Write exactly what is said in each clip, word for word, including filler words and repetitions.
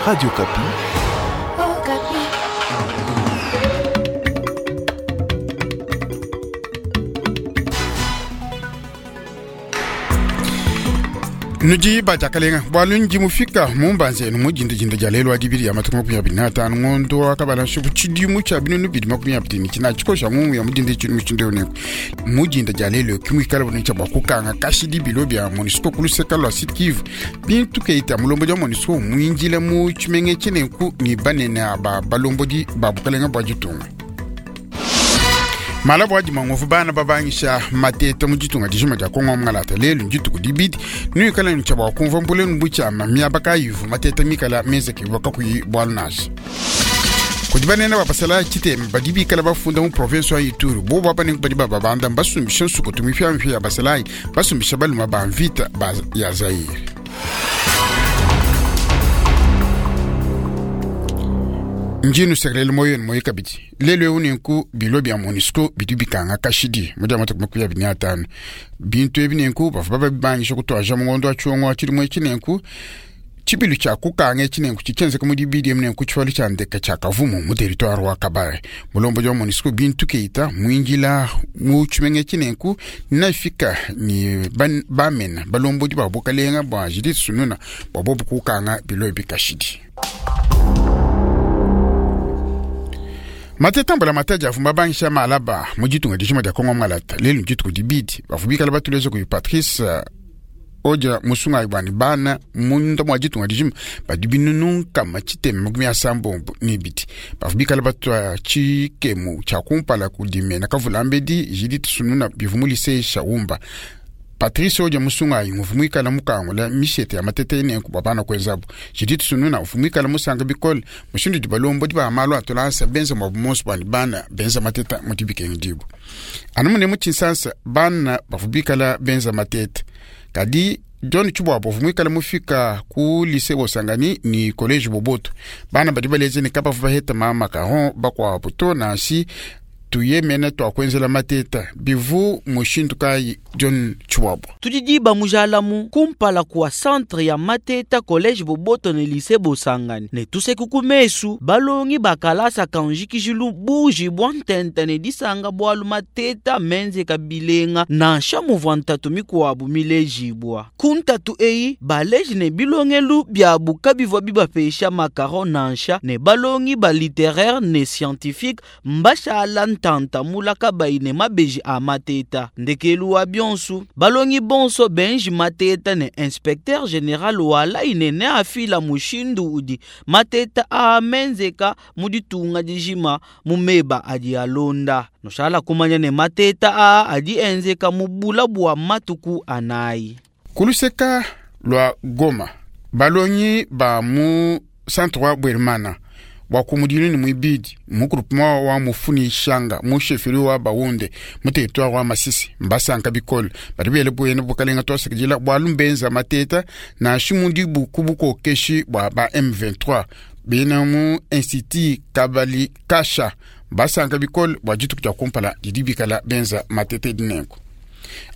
Radio Okapi. Okapi. Nudi batakalenga bwalu ndi mufika mumbanze nu mujindajinda ja lelo adibiri ya matuku makumi abiri n'atanu ngondo wakabala nshuku tshidimu tshia binunu bidi makumi abiri ni tshina tshikosha mumu ya mujinda tshinu mushindu neku mujinda ja lelo kimwikala bunu tshia bua kukanga kashidi bilo bia MONUSCO kuluseka lua Sud Kivu bintu keita mulombodi wa MONUSCO muinjila mu tshimenge tshineku ni banene aba balombodi ba bukalenga bua ditunga. Malabu adi mangovu bana babangisha mateta mu ditunga dijima dia Kongo ngalata lelu ndituku dibidi nuikala ni tshia bua kumvua mbulenu butshiama miaba kayivu mateta mikala menzeke bua kakuyi bualu nansha. Kudi banene bapasala tshitema badi bikala bafunda mu province wa Ituri bobo bapanenku badi bababanda mbasumbisha nsukutu mipiamipia ya basalayi basumbisha baluma ba mvita ba ya Zaire. Njinu sekelele moyo ni moyo kabidi lelo eu nenku bilo bia MONUSCO bidi bikanga kashidi mu dia matuku makumi abiri n'atanu bintu ebi nenku bavua babibangisha kutwaja mu ngondo wa tshiongo wa tshilimo etshi nenku tshibilu tshia kukanga etshi nenku tshitshienzeka mu dibidi emu nenku tshivalu tshia ndeka tshia Kavumu mu territoire wa Kabare. Mulombodi wa MONUSCO bintu keita muinjila mu tshimenge etshi nenku nafika ni ban, bamena balombodi ba bukalenga bua Judith Suminwa bua bobu kukanga bilo ebi kashidi. Mateta mbala mataji avumba bangisha malaba mu ditunga dijima dia Kongo ngalata lelu ndituku dibidi bavua bikala batuleza kudi Patrice Odia Musunga bwani bana munda mwa ditunga dijima badi binunu nkama tshitema makumi asambombo ni ibidi bavua bikala batua tshikemu tshia kumpala kudi mena kavulambedi Judith Suminwa bivua mu lycée Shaumba. Patrice Odia Musunga nguvu mwikala mukangula mishete ya matete enenku bua bana kuenzabu. Judith Suminwa uvu mwikala musanga bikole mushindu di balombo di ba malu atolasa benza mwa bumonso bwani bana benza mateta mu dibikengi dibu. Anu mune mu tshinsansa bana bavua bikala benza matete. Kadi John Tshibwabo uvu mwikala mufika ku lycée Bosangani ni collège Boboto. Bana badi baleze ne kabavu baheta ma macaron bakuabu to nansi tuye mene twakwenzela mateta bivu mushindu kayi John Tshibwabo. Tudidiba mujalamu kumpala kwa centre ya mateta collège Boboto ne lycée Bosangani ne tuseku kumesu balongi bakalasa kanjikijilu buji bwa ntente ne disanga bwalu mateta menze kabilenga nansha muvua ntatu mikuabu milejibwa ku ntatu eyi baleji ne bilongelu byabu kabivua bibapesha makaron nansha ne balongi ba littéraire ne scientifique mbashala ntanta mulaka bayi ne mabeji a mateta ndekelu wa bionsu balongi bonso benji mateta ne inspecteur général wala inene afila mushindu udi mateta a menzeka mu ditunga dijima mu meba adi alonda noshala kumanya ne mateta a adi enzeka mu bula bua matuku anayi. Kuluseka lwa Goma balongi ba mu centre wa Bweremana wa kumudinu ni mwibidi mu groupement wa mufuni shanga mu chefferie wa Bahunde mu territoire wa Masisi mbasanka bikole badi bele bwene bukalenga twasekejela bwalu mbenza mateta na shimundi buku bukokeshi bwa ba M vingt-trois bena mu institut Kabali Kasha basanka bikole bwa dituku dia kumpala didi bikala benza matete dinenku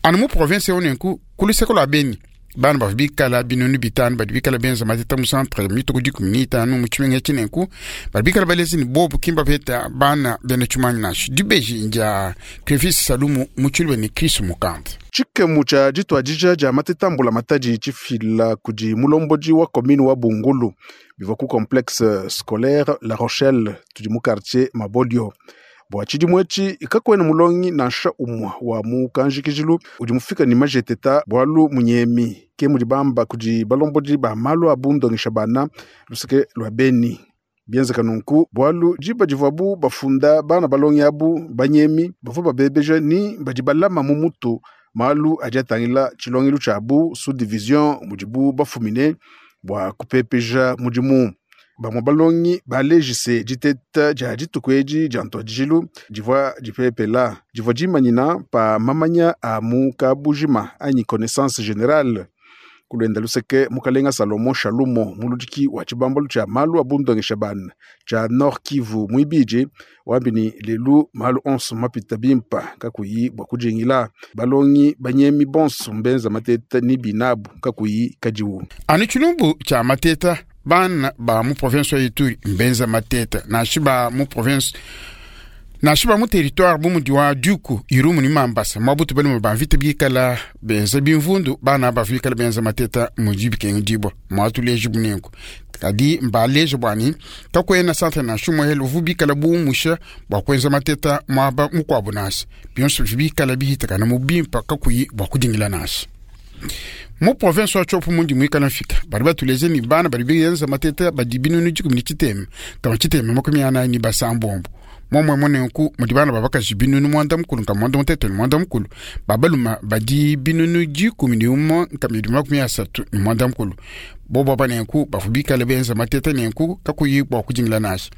anu mu province onenku kuluseko lwa Beni bana bavua bikala binunu bitanu badi bikala benza mateta mu centre mituku dikumi n'itanu mu tshimenga tshinenku badi bikala balezi ni bobu kimba beta bana bena tshimanyi nansha dibeji ndia Clevis Salumu mu tshiluba ni Chris Mukanda. Tshikemu tshia dituadija dia mateta mbula matadi tshifila kudi mulombodi wa commune wa Bungulu bivua ku complexe scolaire La Rochelle tudi mu quartier Mabolio. Bua tshidimu etshi kakuena mulongi nansha umue wa mu kanjikijilu udi mufika ne majeteta bualu munyemi ke mudi bamba kudi balombodi ba malu a bundongesha bana luseke lua Beni. Bienzeka nunku bualu diba divuabu bafunda bana balongi abu banyemi bavua babebeja ni badi balama mu mutu malu adi atangila tshilongelu tshiabu sous division mudibu bafumine bua kupepeja mudimu. Bamue balongi balejise diteta dia dituku edi dia ntuadijilu divua dipepela divua dimanyina pa mamanya a mu kabujima anyi connaissance générale. Kulwenda luseke mukalenga Salomo Shalumo muludiki wa tshibambalu tshia malu a bundongesha bana tshia Nord Kivu muibidi wambi ni lelu malu onso mapita bimpa kakuyi bua kujingila balongi banyemi bonso mbenza mateta ni binabu kakuyi kadiwu. Anu tshilumbu tshia mateta Bana ba mu province wa Ituri mbenza mateta nashi ba mu province nashi ba mu territoire bu mudi wa Duku Irumu ni Mambasa mwabutu bali ba mvita bikala benza bimvundu bana bavikala benza mateta mudi bikenga dibwa mwatuleje bunenku kadi mbaleje bwani kakwena centre na shumo helo vubikala bumusha bwa kwenza mateta mwaba mukwabu nasi bionso bikala bihitakana mubimpa kakuyi bwa kudingila nasi mu province wa Tshopo mundi mwikala mfika bari batuleze ni bana bari biyenza mateta badi binunu dikumi ni tshitema kama tshitema makumi anayi ni basambombo momwe monenku mudi bana babakaji binunu mwanda mukulu nka mwanda mutete ni mwanda mukulu babaluma badi binunu dikumi ni umo nka midi makumi asatu ni mwanda mukulu bobo aba nenku bafu bikala benza mateta nenku kakuyi bwa kudingila nasi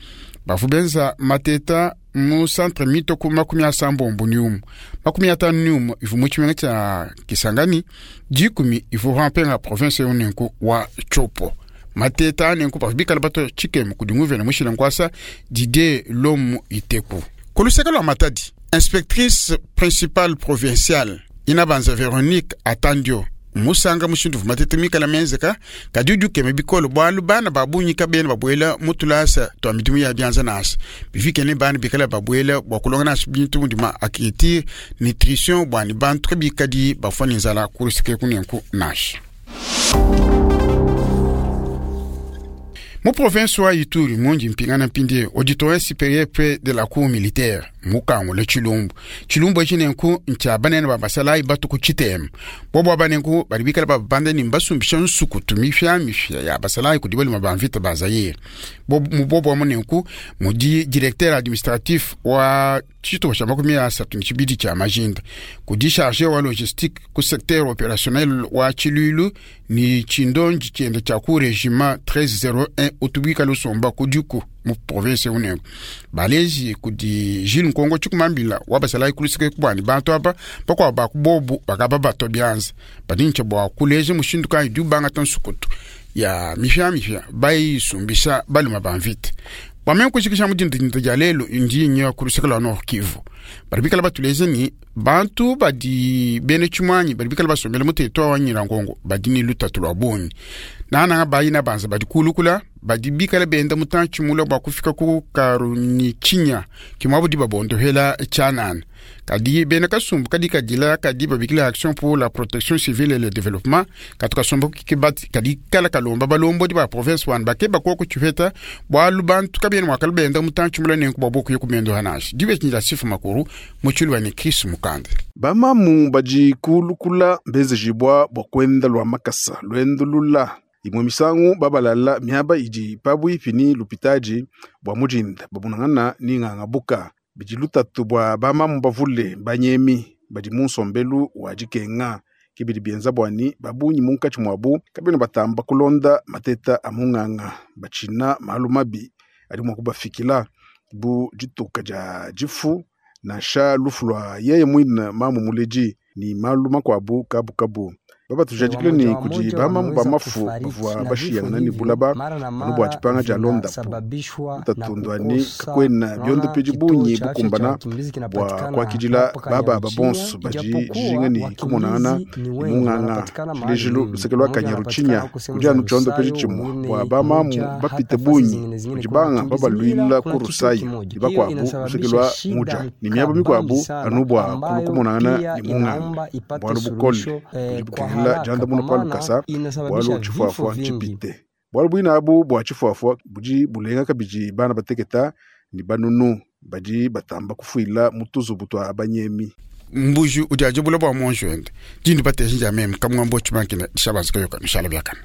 bafu benza mateta mu centre mitoku makumi asambombo ni umu makumi atanu ni umu ivu mu tshimenga tshia Kisangani dikumi ivu rampenga province yo nenku wa Tshopo mateta nenku bafu bikala bato tshikemu kudi nguvena mushila nkwasa Didier Lomu Iteku kuluseka lwa Matadi inspectrice principale provinciale inabanza Veronique Atandio musanga mushindu matete mikala menzeka kadi udi ukema bikolo bwalu bana babunyika bene babwela mutulasa twa midimu ya byanza nasi bifikene bana bikala babwela bwa kulonga nasi bintu mudima akiti nutrition bwani bantu kabikadi bafwa nzala kulusike kunenku nasi mu province wa Ituri mundi mpingana mpindi auditorat supérieur près de la cour militaire mukangula tshilumbu tshilumbu etshi nenku ntshia banene ba basalayi batuku tshitema bobo abanenku badi bikala babanda ni mbasumbisha nsukutu mifyamifya ya basalayi kudi balima ba mvita ba Zaire mubobo amu nenku mudi directeur administratif wa tshitupa tshia makumi asatu ni tshibidi tshia majinda kudi chargé wa logistique ku secteur opérationnel wa tshiluilu ni tshindonji tshienda tshia ku régiment treize zéro un utubika lusomba kudiku mu province unengo balezi kudi Jules Nkongo tshikumambila wa basalayi kulusike kubwani bantu aba bakwabo bakubobu bakaba bato byanza badintsha bwa kuleja mushindu kayi di ubangata nsukutu ya mifyamifya bayisumbisa baluma ba mvita bwamene kushikisha mudindindinda dia lelo ndi nya kuluseke lwa Nord Kivu bari bikala batuleze ni bantu badi bene tshimwanyi bari bikala basombela mu territoire wa Nyiragongo badi ni lutatu lwa bonyi nananga bayina banza badi kulukula badi bikala benda mutantshi mula bwa kufika ku Karunichinya kimwabo di babondohela tshanana kadi bena kasumbu kadi kadila kadi babikila action pour la protection civile et le développement katu kasumbu kikibati kadi kala kalomba balombo di ba province wan bakeba koko tshifeta bwalu bantu kabena mwakala benda mutantshi mula nenku bwaboku yekumendo hanashi dibe tshinja sifu makuru muchulu ni Chris Mukande bamamu badi kulukula mbezejibwa bwa kwenda lwa makasa lwendo lula imwe misangu babalala miaba idi pabwipi ni lupitaji bwa mujinda babunangana ni ng'ang'abuka bidi lutatu bwa bamamu bavule banyemi badi mu nsombelu wa dikenga kibidi bienza bwani babunyi munkatshi mwabu kabena batamba kulonda mateta a mung'ang'a batshina malu mabi adi mua kubafikila bu dituka dia difu nansha lufu lwa yeye mwine mamu muledi ni malu makuabu kabukabu babatujadikile ni kudi bamamu ba mafu bavua bashiyangana ni bulaba anu bua dipanga dia londapo utatundwani kakwena biondo pedi bunyi bukumbana bua kuakidila baba babonso badi dijinga ni kumonangana ni mung'ang'a tshilejilu luseke lua Kanyaruchinya kudi anu tshiondo pedi tshimue bua bamamu bapite bunyi kudi banga babaluila ku Rusayi ni bakuabu luseke lua Muja ni miaba mikuabu anu bua kulu kumonangana ni mung'anga bualu bukole budi bukengela janda muno pa lukasa bualu tshifuafua tshipite bualu buina abu bua tshifuafua budi bulenga kabidi bana bateketa ni banunu badi batamba kufuila mu tuzubu tua banyemi mbuji udi ajibula bua monjo ende dindi bateshinja meme kamwambo tshimankina dishabanzika yoka mishala byakana.